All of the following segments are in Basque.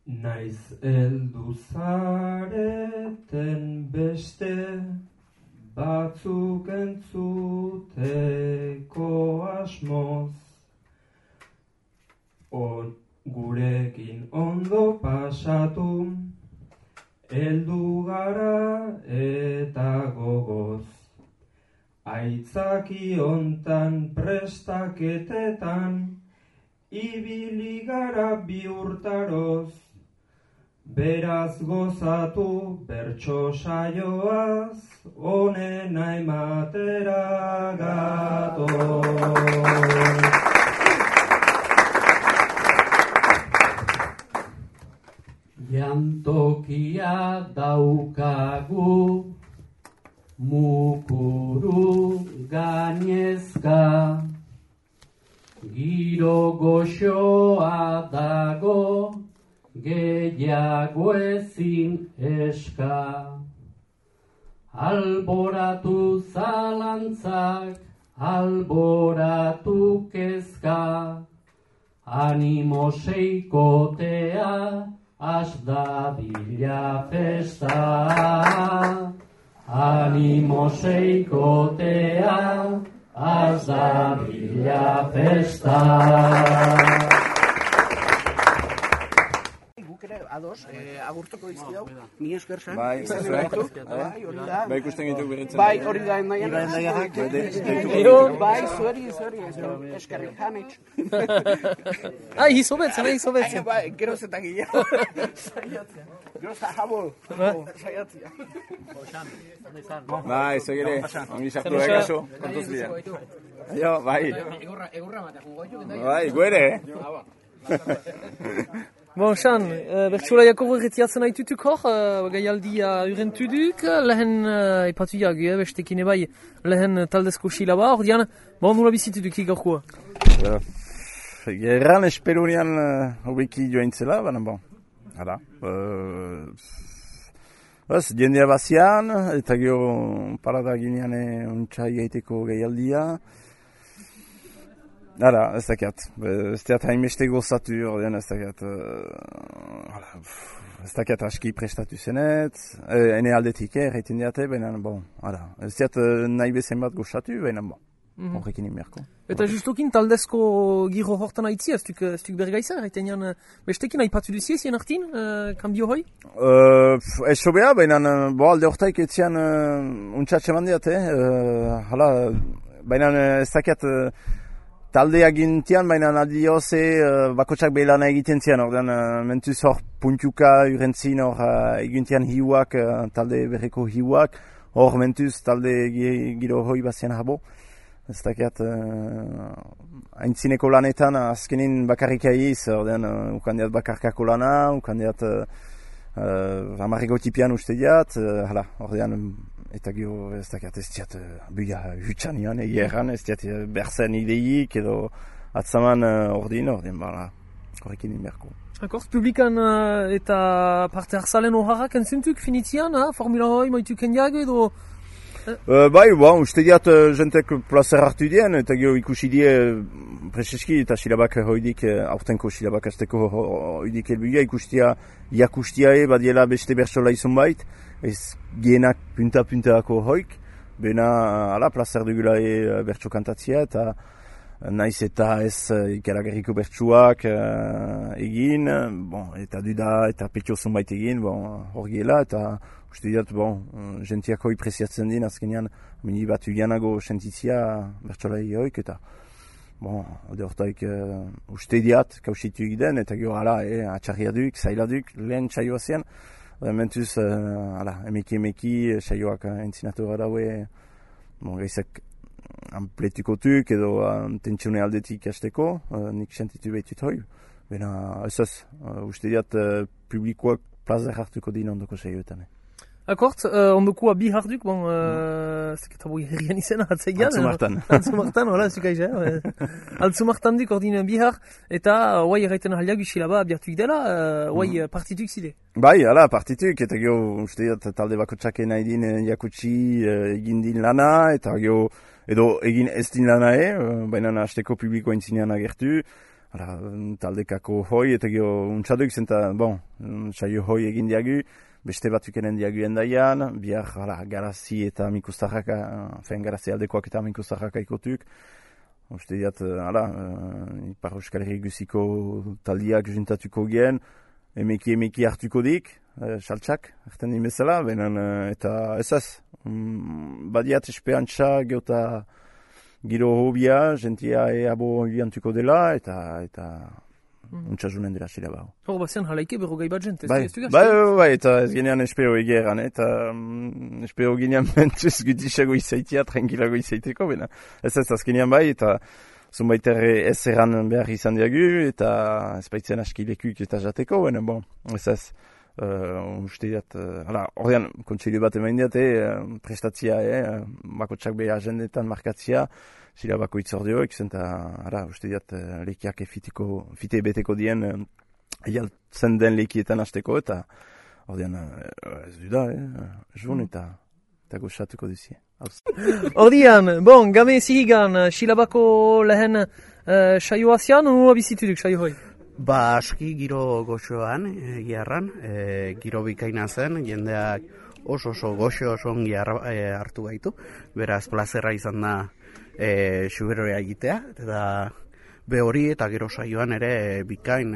Naiz heldu zareten beste batzuk entzuteko asmoz. Gurekin ondo pasatu, heldu gara eta gogoz. Aitzaki hontan prestaketetan, ibili gara bi urtaroz. Beraz gozatu bertso saioaz, onena ematera gatoz. Jantokia daukagu, mukuru gainezka, giro goxoa dago, gehiago ezin eska. Alboratu zalantzak, alboratu kezka, animo seikotea, has dadila festa. Animo seikotea, has dadila festa. Ados, agurtuko dizkidau, ni esker zen. Bai, hori da. Bai, ikusten gitu beretzen. Bai, hori da endaian. Bai, zueri, eskerrik hanitz. Izobetzen. Bai, geroz eta gehiago. Saiatzea. Geroz jabo, saiatzea. Bai, segire, ongi sartu da kaso, kontuz bidea. Jo, bai. Egurra matea jugoitu. Bai, guere, Bon, Xan, bertsolaiako berretziatzen haitutuk hor, gaialdia urentuduk, lehen ipatuak, bestekin ebai, lehen taldezko silaba, hor dian, nula bizituduk igaukua? Gerran esperunian hobeki joaintzela, baina bon, hala. Jendea bazian, eta gero parada ginean ontsa igaiteko gaialdia. Hala, ez dakiat, hainbeste gozatu, ordean ez dakiat aski prestatu zenet, ene aldetik erraiten diate, baina, bon, hala, ez dakiat nahi bezain bat gozatu, baina, bon, horrekin imerko. Eta justokin taldezko giro hortan haitzi, ez duk bergaiza, erraiten jan, bestekin haipatu duzie, zien hartin, kanbio hoi? Ez sobea, baina, alde hortaik etzian untxatxe mandiate, hala, baina ez dakiat, talde agintian, baina adioze bakotsak behilana egiten zian, ordean mentuz hor puntuka urentzin hor egintian hiuak, talde berreko hiuak, hor mentuz talde giro hoi bazian habo. Ez dakiat haintzineko lanetan azkenin bakarrik aiz, ordean ukandiat bakarkako lana, ukandiat amarriko tipian uste diat, hala, ordean eta gero ez dakiat ez diat buia jutsan nian, egeran ez diat berzen ideik edo atzaman ordin, bala, horrekin inberko. Akor, publikan eta parte hartzalen horrak entzuntuk finitian, Formula hoi maituk endiag edo? Bai, uste diat jentek plazer hartu dien, eta gero ikusi die preseski eta silabak hoidik, aurtenko silabak azteko hoidik elbuia, ikustia jakustiae badiela beste bertsola izan bait, ez gienak punta-puntaako hoik, bena ala plazer dugulae bertso kantatzia, eta naiz eta ez ikaragarriko bertsuak egin, eta duda eta petxo zonbait egin, hor giela, eta uste diat, jentiak hoi preziatzen din, azkenean, mini bat ugianago sentitzia bertsolai hoik, eta alde hortaik uste diat, kausitu egiten, eta gero ala, atxarria duk, zaila duk, lehen txaioa zian, mentuz, emeki, saioak entzinatu gara daue, gaizak ampletukotuk edo tentsione aldetik hasteko, nik sentitu behitut hoi. Bena, ez, uste diat publikoak plazer hartuko din ondoko saioetan. Akort, ondokua bi harduk, zeketa boi herrian izena atzeigan. Altzumartan, hola, zukaiz, Altzumartan duk ordin bihar, eta oai erraiten ahaliak usilaba abiartuik dela, oai partituk zide. Bai, hala, partituk, eta gero, uste diat, talde bakotxake nahi din jakutsi egin din lana, eta gero, edo egin ez din lana baina hasteko publikoa intzinean agertu, taldekako hoi, eta gero untxaduik zenta, saio hoi egin diagu, beste batzukenen diagu endaian, bihar garazi eta mikustarraka, garazi aldekoak eta mikustarraka ikotuk. Uste diat, Ipar Euskal Herri guziko taldiak juntatuko gen, emeki hartuko dik, saltsak, erten dimezela, eta ez. Badiat espeantza geota giro hobia, jentia eabo biantuko dela, eta untxazunen dela zila bau. Hor, bazen halaike berro gai bat jente. Bai, eta ez genean espero egeran, eta espero genean mentuz gutisago izaitia, tranquilago izaiteko, ez azkenean bai, eta zunbait ez erran behar izan diagu, eta ez baitzen aski lekuk eta jateko, ez uste diat, ordean, kontseilu bat emain diat, prestatzia, bakotsak beha agendetan markatzia, zila bako itzordioek, zenta, uste diat, lekiak fite beteko dien, eialtzen den lekietan hasteko, eta ordean, ez du da, jun eta goxatuko duzie. Ordean, game zihigan, Silabako lehen saioa zian, nua bizituduk saio hoi? Aski giro goxoan, giarran, giro bikaina zen, jendeak oso goxo oso ongi hartu gaitu, beraz plazerra izan da xuberoa egitea, eta hori eta gero saioan ere bikain,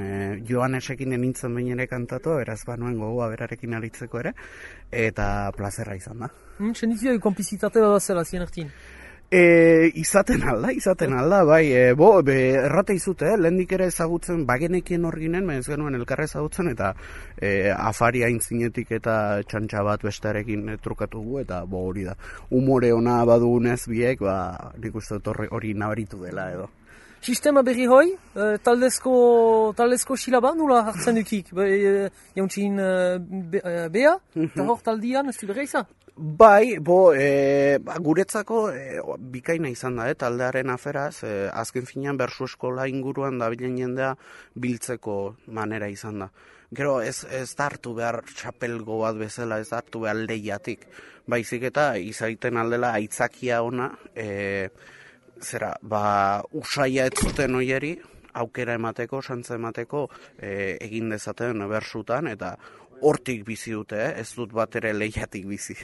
Joanesekin nintzen behin ere kantatu, beraz banuen gogoa berarekin aritzeko ere, eta plazerra izan da. Senditzia konplizitate bat zela zien hartin? Izaten alda, bai, errate izute, lehendik ere ezagutzen, bagenekien hor ginen, ez genuen elkarra ezagutzen, eta afari aintzinetik eta txantxa bat bestearekin trukatugu, eta hori da. Humore ona badugunez biek, nik uste hori nabaritu dela edo. Sistema berri hoi, taldezko silaba, nula hartzen dukik, jauntxin bea, eta hor taldian, ez du berri izan? Bai, guretzako bikaina izan da, taldearen aferaz, azken finean bersu eskola inguruan dabilen jendea biltzeko manera izan da. Gero ez da hartu behar txapelgo bat bezala, ez da hartu behar lehiatik. Baizik eta izaiten aldela aitzakia ona, usaia ez zuten oieri, aukera emateko, santza emateko, egin dezaten bersutan, eta hortik bizi dute, ez dut bat ere lehiatik bizi.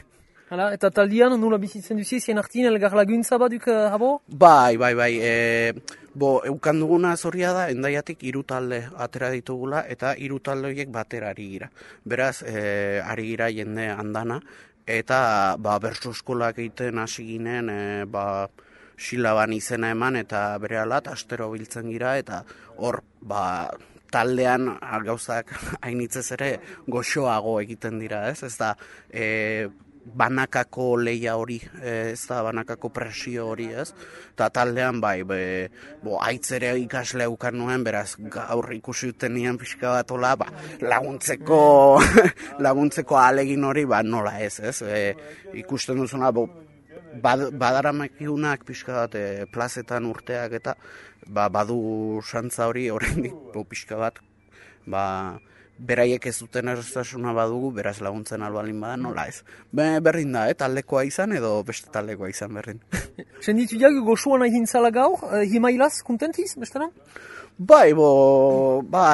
Hala, eta taldian nula bizitzen duzi, zien hartin elgar laguntza baduk habo? Bai. Eukan duguna zorria da, endaiatik 3 talde atera ditugula, eta 3 talde horiek batera ari gira. Beraz, ari gira jende andana, eta bersu eskolak egiten hasi ginen, Silaban izena eman, eta bere alat, astero biltzen gira, eta hor, taldean gauzak hainitzez ere goxoago egiten dira, ez? Ez da, banakako leia hori, ez da, banakako presio hori, ez? Eta taldean, aitzere ikasle eukan nuen, beraz, gaur ikusi duten nian pixka bat hola, laguntzeko ahalegin hori, nola ez? Ikusten duzuna, badaramakiunak pixka bat plazetan urteak eta badu santza hori oraindik pixka bat beraiek ez duten erraztasuna badugu, beraz laguntzen albalin bada, nola ez. Berdin da, taldekoa izan edo beste taldekoa izan berdin. Senditu jagu goxuan egin zala gaur, himailaz, kontentiz, bestera? Bai,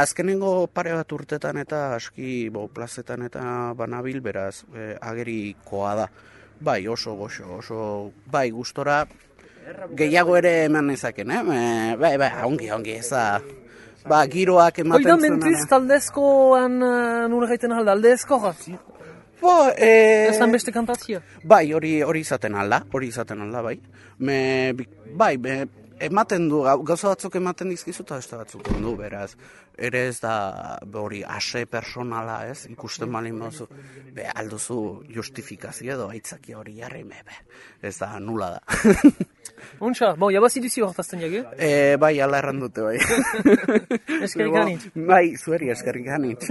azkenengo pare bat urtetan eta aski plazetan eta banabil, beraz, agerikoa da. Bai, oso goxo, bai, gustora, gehiago ere eman nezaken, ongi, ez da, giroak ematen zuen. Oidan mentuz taldezkoan nure gaiten alda, aldezko gara? Ezan beste kantatzia? Bai, hori izaten alda, bai. Bai, ematen du, gauza batzuk ematen dizkizu eta beste batzuk du, beraz. Ere ez da hori ase personala, ez? Ikusten balin baduzu, alduzu justifikazio edo aitzakia hori jarri, ez da nula da. Untxa, jabazi duzi hortazten jage? Bai, ala erran dute, bai. Eskerrik anitz. Bai, zueri eskerrik anitz.